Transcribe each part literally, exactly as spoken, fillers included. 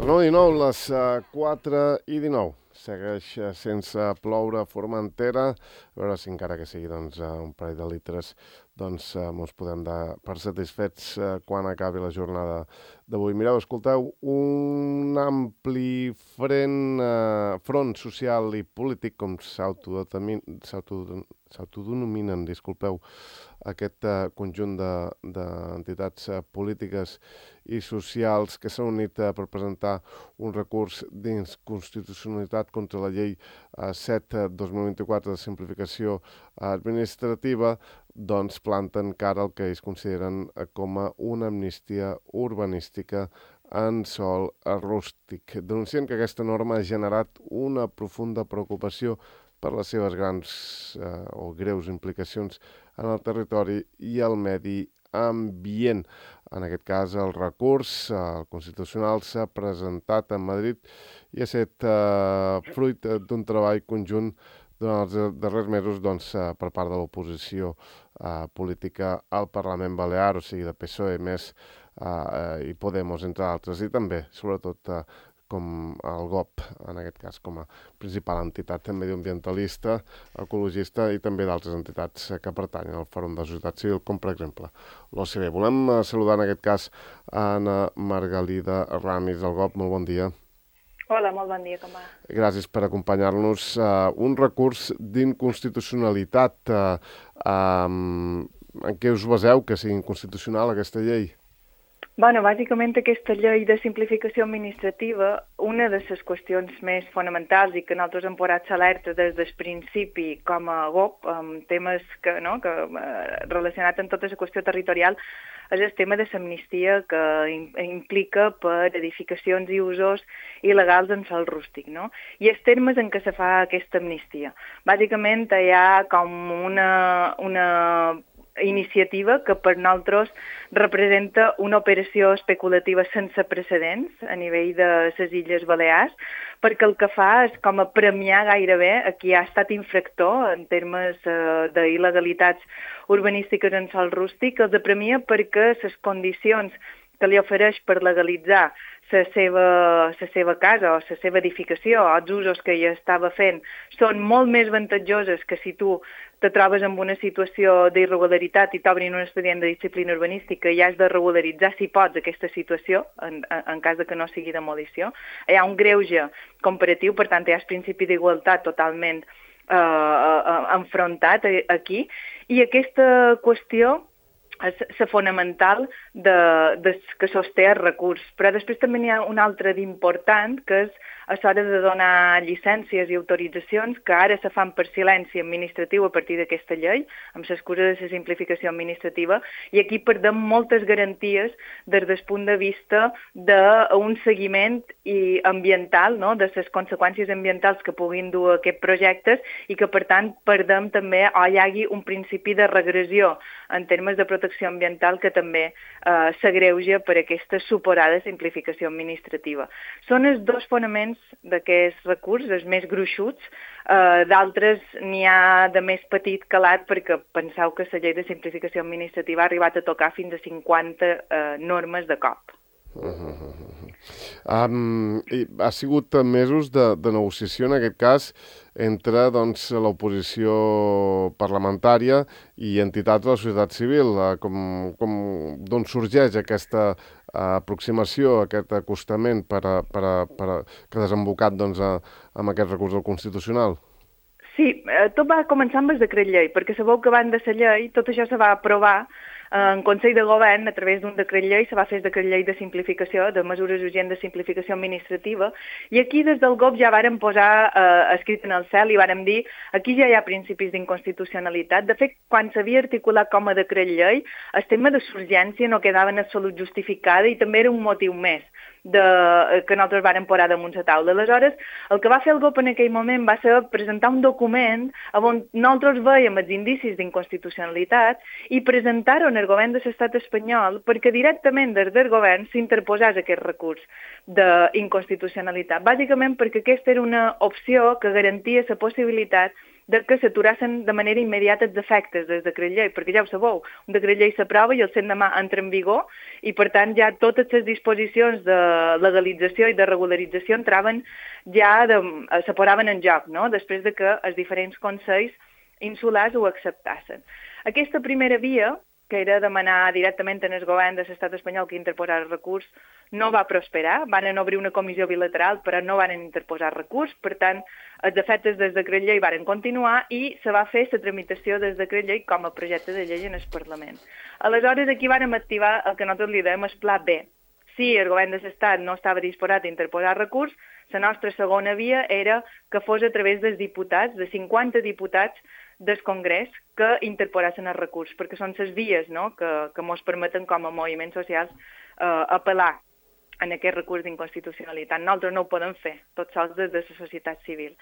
nou i dinou, les quatre i dinou. Segueix sense ploure a Formentera. A veure si encara que sigui doncs, un parell de litres doncs ens podem dar per satisfets quan acabi la jornada d'avui. Mireu, escolteu, un ampli front, eh, front social i polític, com s'autodenominen, disculpeu, aquest eh, conjunt d'entitats de, polítiques i socials que s'han unit eh, per presentar un recurs d'inconstitucionalitat contra la llei eh, set dos mil vint-i-quatre de simplificació administrativa, doncs planten cara al que ells consideren com a una amnistia urbanística en sòl rústic. Denuncien que aquesta norma ha generat una profunda preocupació per les seves grans eh, o greus implicacions en el territori i el medi ambient. En aquest cas, el recurs el constitucional s'ha presentat a Madrid i ha estat eh, fruit d'un treball conjunt durant els darrers mesos doncs, eh, per part de l'oposició eh, política al Parlament Balear, o sigui, de P S O E més eh, i Podemos, entre altres, i també, sobretot, eh, com el G O P, en aquest cas, com a principal entitat mediambientalista, ecologista i també d'altres entitats que pertanyen al Fòrum de Societat Civil, com per exemple l'O C B. Volem saludar en aquest cas a Anna Margalida Ramis del G O P. Molt bon dia. Hola, molt bon dia, com va? Gràcies per acompanyar-nos. Uh, un recurs d'inconstitucionalitat. Uh, um, en què us baseu que sigui inconstitucional aquesta llei? Bueno, bàsicament aquesta llei de simplificació administrativa, una de les qüestions més fonamentals i que nosaltres hem posat alerta des del principi com a G O P, amb temes que, no, que eh, relacionats amb tota la qüestió territorial, és el tema de l'amnistia que implica per edificacions i usos il·legals en sòl rústic, no? I els termes en què se fa aquesta amnistia. Bàsicament hi ha com una, una iniciativa que per nosaltres representa una operació especulativa sense precedents a nivell de les Illes Balears, perquè el que fa és com a premiar gairebé a qui ha estat infractor en termes eh, d'il·legalitats urbanístiques en sòl rústic, els premia perquè les condicions que li ofereix per legalitzar la seva, la seva casa o la seva edificació o els usos que ella estava fent són molt més avantatjoses que si tu te trobes en una situació d'irregularitat i t'obrin un expedient de disciplina urbanística i has de regularitzar, si pots, aquesta situació, en, en cas de que no sigui demolició. Hi ha un greuge comparatiu, per tant, hi ha el principi d'igualtat totalment eh, enfrontat aquí, i aquesta qüestió és la fonamental de, de, que sosté el recurs. Però després també n'hi ha un altre d'important, que és a l'hora de donar llicències i autoritzacions, que ara se fan per silenci administratiu a partir d'aquesta llei, amb l'excusa de la simplificació administrativa, i aquí perdem moltes garanties des del punt de vista d'un seguiment i ambiental, no?, de les conseqüències ambientals que puguin dur aquests projectes i que, per tant, perdem també o hi hagi un principi de regressió en termes de protecció ambiental que també eh, s'agreuja per aquesta suposada simplificació administrativa. Són els dos fonaments d'aquest recurs, els més gruixuts. Eh, d'altres n'hi ha de més petit calat perquè penseu que la llei de simplificació administrativa ha arribat a tocar fins a cinquanta eh, normes de cop. Uh -huh. um, ha sigut mesos de, de negociació, en aquest cas, entre doncs, l'oposició parlamentària i entitats de la societat civil. Uh, com, com, d'on sorgeix aquesta uh, aproximació, aquest acostament per a, per a, per a, que ha desembocat doncs, a, amb aquest recurs al Constitucional? Sí, eh, tot va començar amb el decret llei, perquè sabeu que abans de la llei tot això se va aprovar en Consell de Govern, a través d'un decret llei, se va fer el decret llei de simplificació, de mesures urgents de simplificació administrativa, i aquí des del G O P ja vàrem posar eh, escrit en el cel i vàrem dir aquí ja hi ha principis d'inconstitucionalitat. De fet, quan s'havia articulat com a decret llei, el tema de l'urgència no quedava en absolut justificada i també era un motiu més de, que nosaltres vàrem posar damunt la taula. Aleshores, el que va fer el G O P en aquell moment va ser presentar un document on nosaltres veiem els indicis d'inconstitucionalitat i presentar-ho en el govern de l'estat espanyol perquè directament des del govern s'interposés aquest recurs d'inconstitucionalitat. Bàsicament perquè aquesta era una opció que garantia la possibilitat de que s'aturassin de manera immediata els efectes del decret llei, perquè ja ho sabeu, un decret llei s'aprova i el l'endemà entra en vigor i per tant ja totes les disposicions de legalització i de regularització entraven ja, de, se posaven en joc, no? Després de que els diferents consells insulars ho acceptassin. Aquesta primera via, que era demanar directament en el govern de l'estat espanyol que interposar el recurs, no va prosperar. Van obrir una comissió bilateral, però no van interposar recurs. Per tant, els efectes del decret llei van continuar i se va fer la tramitació del decret llei com a projecte de llei en el Parlament. Aleshores, aquí vam activar el que nosaltres li dèiem el pla B. Si el govern de l'Estat no estava disposat a interposar recurs, la nostra segona via era que fos a través dels diputats, de cinquanta diputats del Congrés, que interposessin el recurs, perquè són les vies, no?, que, que ens permeten com a moviments socials eh, apel·lar en aquest recurs d'inconstitucionalitat. Nosaltres no ho podem fer, tots sols des de la societat civil.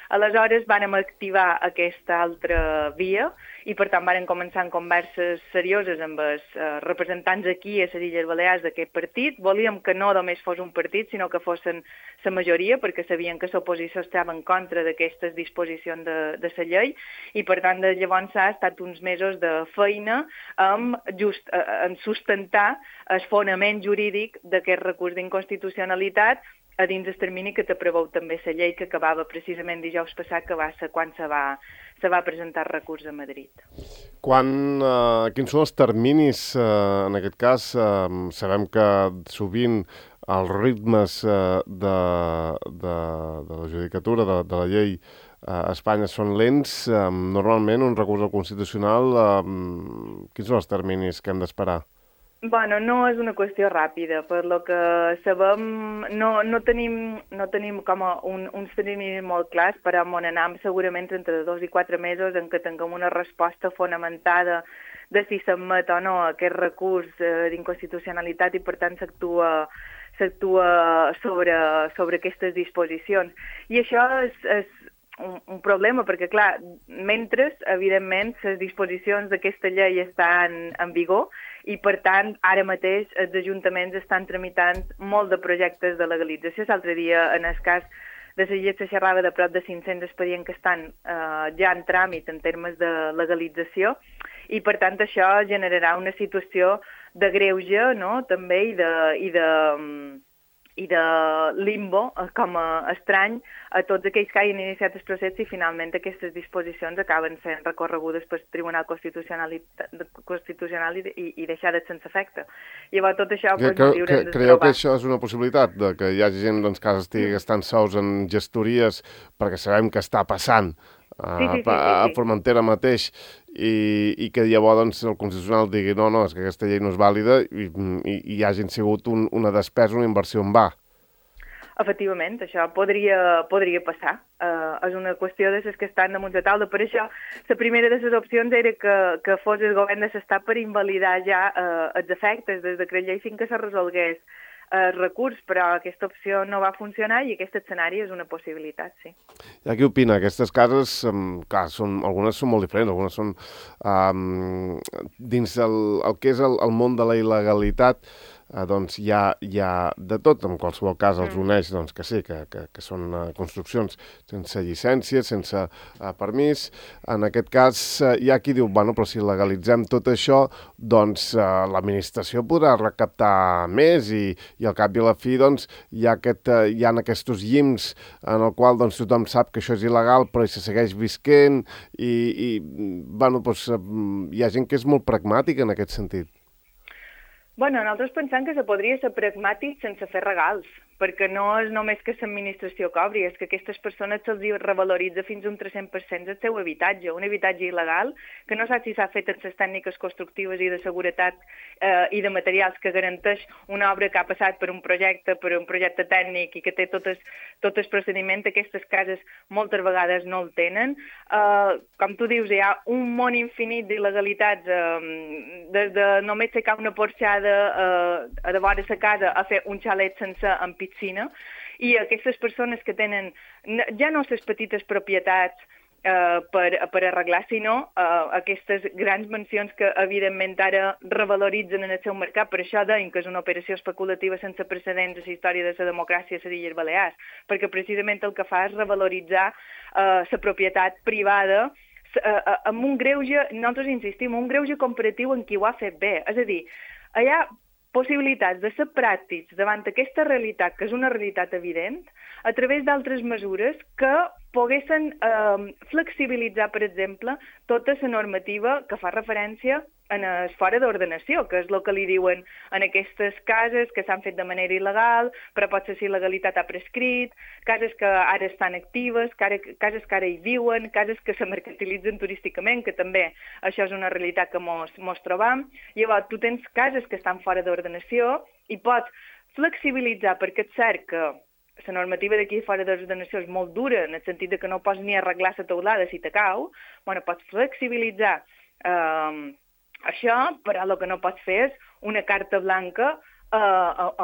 Aleshores, vàrem activar aquesta altra via i, per tant, vàrem començar en converses serioses amb els eh, representants aquí a les Illes Balears d'aquest partit. Volíem que no només fos un partit, sinó que fossin la majoria, perquè sabien que l'oposició estava en contra d'aquestes disposicions de, de la llei i, per tant, de llavors ha estat uns mesos de feina amb just, eh, en sustentar el fonament jurídic d'aquest recurs d'inconstitucionalitat a dins el termini que te preveu també la llei que acabava precisament dijous passat, que va ser quan se va, se va presentar el recurs a Madrid. Quan, eh, quins són els terminis, eh, en aquest cas? Eh, sabem que sovint els ritmes eh, de, de, de la judicatura, de, de la llei a Espanya són lents. Eh, normalment, un recurs al Constitucional, eh, quins són els terminis que hem d'esperar? Bueno, no és una qüestió ràpida, per lo que sabem, no, no tenim, no tenim com un, uns terminis molt clars, però on anem segurament entre dos i quatre mesos en què tinguem una resposta fonamentada de si s'admet o no aquest recurs eh, d'inconstitucionalitat i per tant s'actua s'actua sobre, sobre aquestes disposicions. I això és, és un, un problema, perquè clar, mentre, evidentment, les disposicions d'aquesta llei estan en vigor, i, per tant, ara mateix els ajuntaments estan tramitant molt de projectes de legalització. L'altre dia, en el cas de la llei, se xerrava de prop de cinc-cents expedients que estan eh, ja en tràmit en termes de legalització i, per tant, això generarà una situació de greuge, no?, també, i de, i de, i de limbo, com a estrany, a tots aquells que hagin iniciat el procés i finalment aquestes disposicions acaben sent recorregudes pel Tribunal Constitucional, Constitucional i, i, i deixades sense efecte. Llavors tot això... Que, pues, que, que, creieu que això és una possibilitat, de que hi hagi gent doncs, que estigui gastant sous en gestories, perquè sabem que està passant a, sí, sí, sí, sí, sí. a Formentera mateix, i, i que llavors doncs, el Constitucional digui no, no, és que aquesta llei no és vàlida i, i, i hi hagin sigut un, una despesa, una inversió en va. Efectivament, això podria, podria passar. Uh, és una qüestió de les que estan damunt de taula. Per això, la primera de les opcions era que, que fos el govern de l'Estat per invalidar ja uh, els efectes del decret llei fins que se resolgués el recurs, però aquesta opció no va funcionar i aquest escenari és una possibilitat, sí. I qui opina? Aquestes cases, um, clar, són, algunes són molt diferents, algunes són um, dins el, el que és el, el món de la il·legalitat, eh, doncs hi ha, hi ha de tot, en qualsevol cas els uneix doncs, que sí, que, que, que són uh, construccions sense llicència, sense uh, permís. En aquest cas uh, hi ha qui diu, bueno, però si legalitzem tot això, doncs uh, l'administració podrà recaptar més i, i al cap i a la fi doncs, hi ha, aquest, uh, hi ha aquests llims en el qual doncs, tothom sap que això és il·legal però hi se segueix visquent i, i bueno, doncs, uh, hi ha gent que és molt pragmàtica en aquest sentit. Bueno, nosaltres pensem que se podria ser pragmàtic sense fer regals, perquè no és només que l'administració cobri, és que aquestes persones se'ls revaloritza fins a un tres-cents per cent el seu habitatge, un habitatge il·legal, que no sap si s'ha fet amb les tècniques constructives i de seguretat eh, i de materials que garanteix una obra que ha passat per un projecte, per un projecte tècnic i que té tot el, tot el procediment, aquestes cases moltes vegades no el tenen. Eh, com tu dius, hi ha un món infinit d'il·legalitats, eh, des de només secar una porxada eh, a de vora la casa a fer un xalet sense en piscina, i aquestes persones que tenen ja no les petites propietats eh, per, per arreglar, sinó eh, aquestes grans mansions que, evidentment, ara revaloritzen en el seu mercat. Per això deim que és una operació especulativa sense precedents a la història de la democràcia a les Illes Balears, perquè precisament el que fa és revaloritzar la eh, propietat privada eh, amb un greuge, nosaltres insistim, un greuge comparatiu en qui ho ha fet bé. És a dir, hi ha possibilitats de ser pràctics davant aquesta realitat, que és una realitat evident, a través d'altres mesures que poguessin eh, flexibilitzar, per exemple, tota la normativa que fa referència en el fora d'ordenació, que és el que li diuen en aquestes cases que s'han fet de manera il·legal, però potser si il·legalitat ha prescrit, cases que ara estan actives, cases que ara hi viuen, cases que se mercantilitzen turísticament, que també això és una realitat que mos, mos trobam. Llavors, tu tens cases que estan fora d'ordenació i pots flexibilitzar, perquè és cert que la normativa d'aquí fora d'ordenació és molt dura, en el sentit que no pots ni arreglar la teulada si te cau, bueno, pots flexibilitzar eh, això, però el que no pots fer és una carta blanca eh, eh,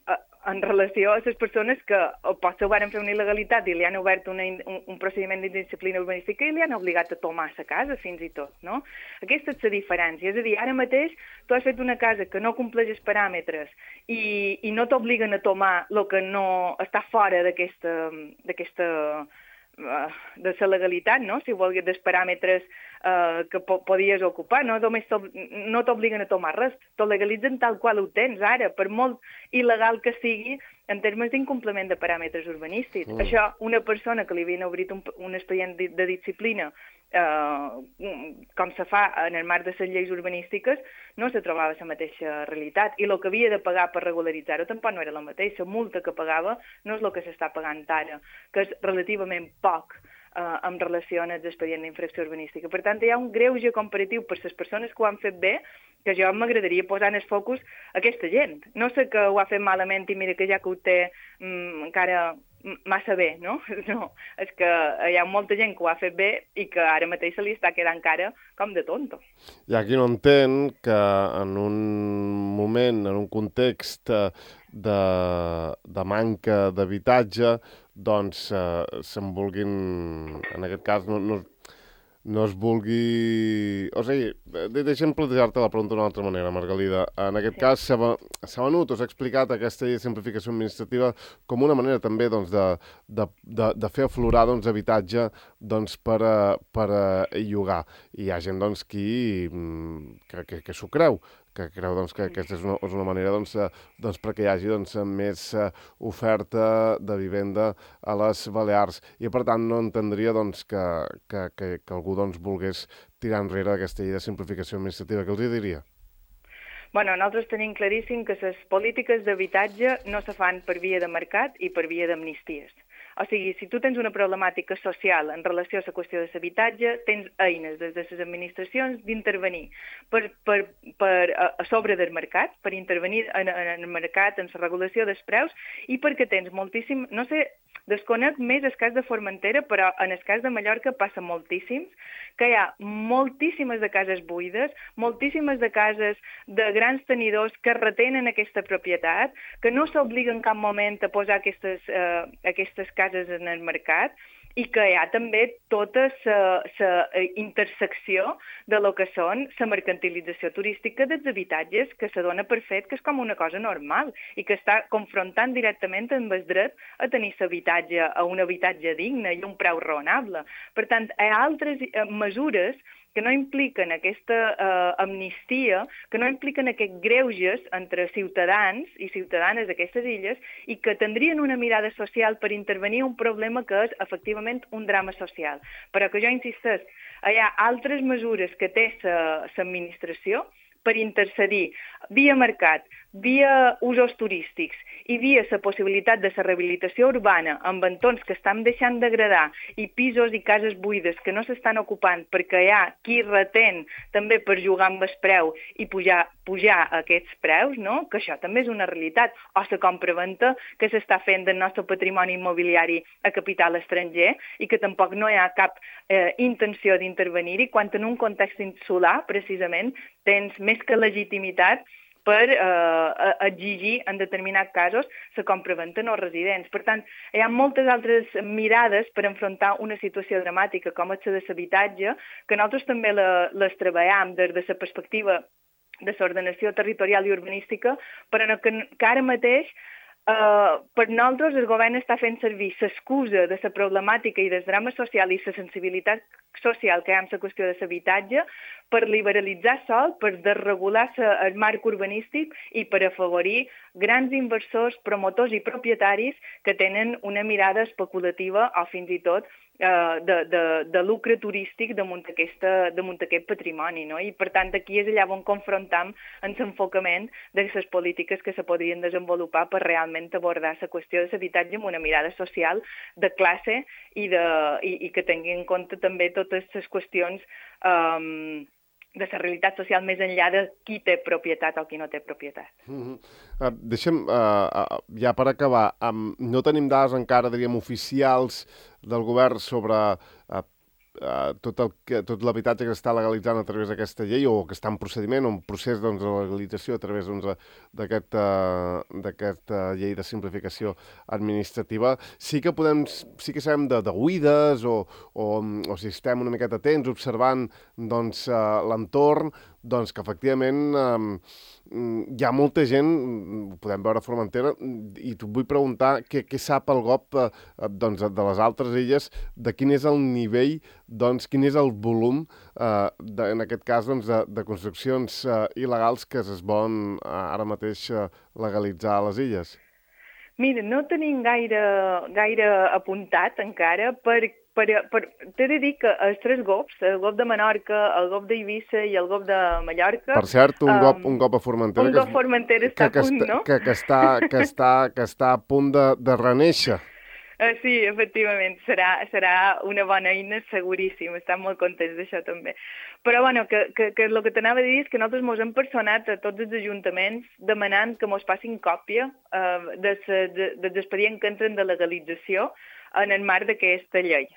eh, en relació a les persones que potser ho van fer una il·legalitat i li han obert una, un, un procediment d'indisciplina urbanística i li han obligat a tomar la casa, fins i tot, no? Aquesta és la diferència. És a dir, ara mateix tu has fet una casa que no compleix els paràmetres i, i no t'obliguen a tomar el que no està fora d'aquesta d'aquesta de la legalitat, no? Si volgués, dels paràmetres eh, que po podies ocupar, no només no t'obliguen a tomar res, t'ho legalitzen tal qual ho tens ara, per molt il·legal que sigui en termes d'incompliment de paràmetres urbanístics. Mm. Això, una persona que li havien obrit un, un expedient de, de disciplina eh, com se fa en el marc de les lleis urbanístiques, no se trobava la mateixa realitat. I el que havia de pagar per regularitzar-ho tampoc no era la mateixa. La multa que pagava no és el que s'està pagant ara, que és relativament poc eh, en relació amb l'expedient d'infracció urbanística. Per tant, hi ha un greuge comparatiu per les persones que ho han fet bé, que jo m'agradaria posar en el focus aquesta gent. No sé que ho ha fet malament i mira que ja que ho té mm, encara massa bé, no? No, és que hi ha molta gent que ho ha fet bé i que ara mateix se li està quedant cara com de tonto. Hi ha qui no entén que en un moment, en un context de, de manca d'habitatge, doncs eh, se'n vulguin, en aquest cas, no, no, no es vulgui... O sigui, deixa'm plantejar-te la pregunta d'una altra manera, Margalida. En aquest sí. cas, s'ha venut o s'ha explicat aquesta llei de simplificació administrativa com una manera també doncs, de, de, de, de fer aflorar doncs, habitatge doncs, per, a, per a llogar. I hi ha gent doncs, qui, que, que, que s'ho creu, que creu doncs, que aquesta és una, és una manera doncs, doncs, perquè hi hagi doncs, més oferta de vivenda a les Balears. I, per tant, no entendria doncs, que, que, que, que algú doncs, volgués tirar enrere aquesta llei de simplificació administrativa. Què els diria? Bueno, nosaltres tenim claríssim que les polítiques d'habitatge no se fan per via de mercat i per via d'amnisties. O sigui, si tu tens una problemàtica social en relació a la qüestió de l'habitatge, tens eines des de les administracions d'intervenir per, per, per, a sobre del mercat, per intervenir en, en el mercat, en la regulació dels preus, i perquè tens moltíssim, no sé, desconec més el cas de Formentera, però en el cas de Mallorca passa moltíssims, que hi ha moltíssimes de cases buides, moltíssimes de cases de grans tenidors que retenen aquesta propietat, que no s'obliguen en cap moment a posar aquestes, eh, aquestes cases en el mercat, i que hi ha també tota la intersecció de lo que són la mercantilització turística dels habitatges, que se dona per fet que és com una cosa normal i que està confrontant directament amb el dret a tenir l'habitatge, a un habitatge digne i un preu raonable. Per tant, hi ha altres mesures que no impliquen aquesta eh, amnistia, que no impliquen aquests greuges entre ciutadans i ciutadanes d'aquestes illes i que tindrien una mirada social per intervenir un problema que és efectivament un drama social. Però que jo insisteix, hi ha altres mesures que té l'administració per intercedir via mercat, via usos turístics i via la possibilitat de la rehabilitació urbana amb entorns que estan deixant degradar i pisos i cases buides que no s'estan ocupant perquè hi ha qui retén també per jugar amb el preu i pujar, pujar aquests preus, no? Que això també és una realitat, o la compra-venta que s'està fent del nostre patrimoni immobiliari a capital estranger i que tampoc no hi ha cap eh, intenció d'intervenir-hi quan en un context insular, precisament, tens més que legitimitat per eh, exigir en determinats casos la compraventa no residents. Per tant, hi ha moltes altres mirades per enfrontar una situació dramàtica com és la de l'habitatge, que nosaltres també la, les treballem des de la perspectiva de l'ordenació territorial i urbanística, però que, que ara mateix Uh, per nosaltres el govern està fent servir l'excusa de la problemàtica i del drama social i la sensibilitat social que hi ha en la qüestió de l'habitatge per liberalitzar sol, per desregular el marc urbanístic i per afavorir grans inversors, promotors i propietaris que tenen una mirada especulativa o fins i tot uh, de, de, de lucre turístic damunt, aquesta, damunt aquest patrimoni. No? I per tant aquí és allà on confrontam en l'enfocament de les polítiques que se podrien desenvolupar per realment abordar la qüestió de l'habitatge amb una mirada social de classe i, de, i, i que tingui en compte també totes les qüestions um, de la realitat social més enllà de qui té propietat o qui no té propietat. Mm-hmm. uh, deixem, uh, uh, ja per acabar, um, no tenim dades encara, diríem, oficials del govern sobre uh, uh, tot el que, tot l'habitatge que s'està legalitzant a través d'aquesta llei o que està en procediment o en procés doncs, de legalització a través doncs, d'aquesta uh, uh, llei de simplificació administrativa. Sí que podem, sí que sabem de, de oïdes o, o, o si estem una miqueta atents observant doncs, uh, l'entorn, doncs que efectivament eh, hi ha molta gent, ho podem veure a Formentera, i t'ho vull preguntar què, què sap el G O P eh, doncs, de les altres illes, de quin és el nivell, doncs, quin és el volum, eh, de, en aquest cas, doncs, de, de construccions eh, il·legals que es volen eh, ara mateix eh, legalitzar a les illes. Mira, no tenim gaire, gaire apuntat encara perquè Per, per, t'he de dir que els tres G O Ps, el G O P de Menorca, el G O P d'Eivissa i el G O P de Mallorca... Per cert, un G O P, um, un G O P a Formentera... Un G O P a Formentera està que, a punt, que, no? Que, que, està, que, està, que està a punt de, de reneixer. Uh, sí, efectivament, serà, serà una bona eina, seguríssim, estem molt contents d'això també. Però, bueno, que, que, que el que t'anava a dir és que nosaltres mos hem personat a tots els ajuntaments demanant que mos passin còpia uh, de de, dels expedients que entren de legalització en el marc d'aquesta llei.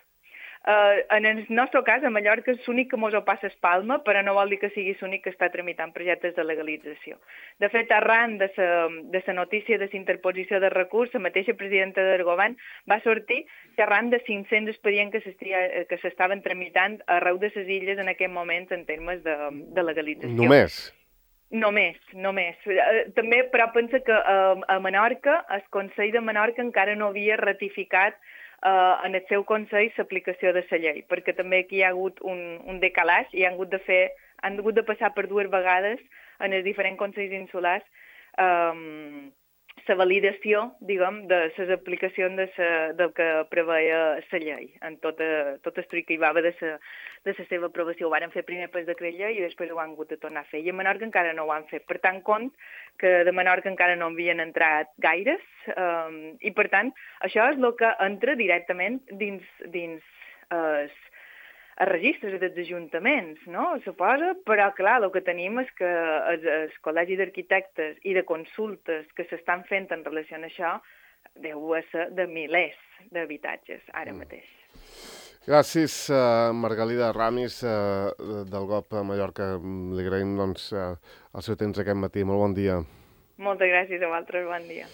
Uh, en el nostre cas, a Mallorca, és l'únic que mos ho passa Espalma, però no vol dir que sigui l'únic que està tramitant projectes de legalització. De fet, arran de la notícia de la interposició de recurs, la mateixa presidenta del govern va sortir que arran de cinc-cents expedients que s'estaven tramitant arreu de les illes en aquest moment en termes de, de legalització. Només? Només, només. També, però pensa que a Menorca, el Consell de Menorca encara no havia ratificat Uh, en el seu Consell l'aplicació de la llei, perquè també aquí hi ha hagut un, un decalaix i han hagut de fer, han hagut de passar per dues vegades en els diferents Consells insulars um, la validació, diguem, de les aplicacions de sa, del que preveia la llei, en tota, tot el truc que hi va haver de la de sa seva aprovació. Ho van fer primer per decret llei i després ho han hagut de tornar a fer. I a Menorca encara no ho han fet. Per tant, compte que de Menorca encara no havien entrat gaires um, i, per tant, això és el que entra directament dins, dins eh, els registres dels ajuntaments, no? Suposa, però clar, el que tenim és que el, el Col·legi d'Arquitectes i de consultes que s'estan fent en relació amb això deu ser de milers d'habitatges ara mateix. Gràcies, uh, Margalida Ramis, uh, del G O P a Mallorca. Li agraïm doncs, uh, el seu temps aquest matí. Molt bon dia. Moltes gràcies a vosaltres, bon dia.